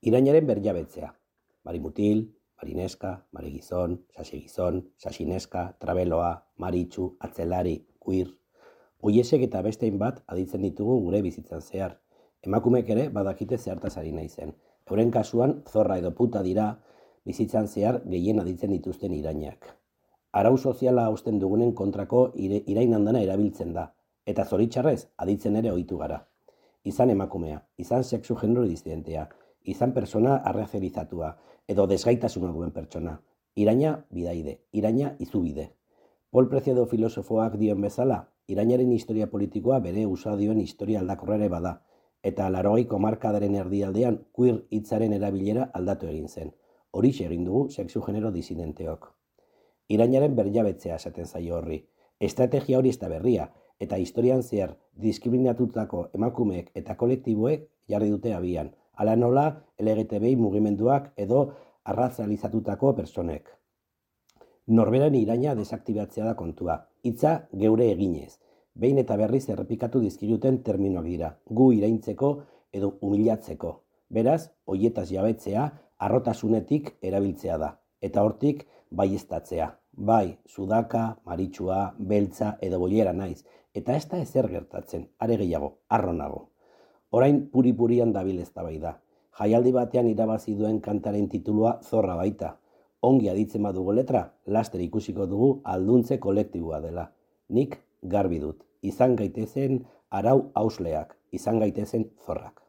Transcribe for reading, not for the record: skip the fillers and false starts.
Irainaren berjabetzea. Marimutil, marineska, marigizon, sasegizon, sasineska, trabeloa, maritxu, atzelari, queer. Oiesek eta bestein bat aditzen ditugu gure bizitzan zehar. Emakumeek ere badakite zertaz ari naizen. Euren kasuan zorra edo puta dira bizitzan zehar gehien aditzen dituzten irainak. Arau soziala hausten dugunen kontrako irain handana erabiltzen da, eta zoritxarrez aditzen ere ohitu gara. Izan emakumea, izan sexu genero disidentea, izan persona arrazerizatua, edo desgaitasuna duen pertsona. Iraina bidaide, iraina izubide. Paul Preciado filosofoak dion bezala, irainaren historia politikoa bere usadioen historia aldakorra ere bada, eta 80ko hamarkadaren erdialdean queer hitzaren erabilera aldatu egin zen. Horixe egin dugu sexu genero disidenteok. Irainaren berjabetzea esaten zaio horri. Estrategia hori ez da berria, eta historian zehar diskriminatutako emakumeek eta kolektiboek jarri dute abian, hala nola LGTBI mugimenduak edo arrazalizatutako personek. Norberen iraina desaktibatzea da kontua, hitza geure eginez. Behin eta berriz errepikatu dizkiguten terminoak dira, gu iraintzeko edo humilatzeko. Beraz, hoietaz jabetzea, harrotasunetik erabiltzea da, eta hortik baieztatzea. Bai, sudaka, maritxua, beltza edo boiera naiz, eta ez da ezer gertatzen, are gehiago, harro nago. Orain puri-purian dabil eztabaida. Jaialdi batean irabazi duen kantaren titulua Zorra baita. Ongi aditzen badugu letra, laster ikusiko dugu alduntze kolektiboa dela. Nik garbi dut, izan gaitezen arau hausleak, izan gaitezen zorrak.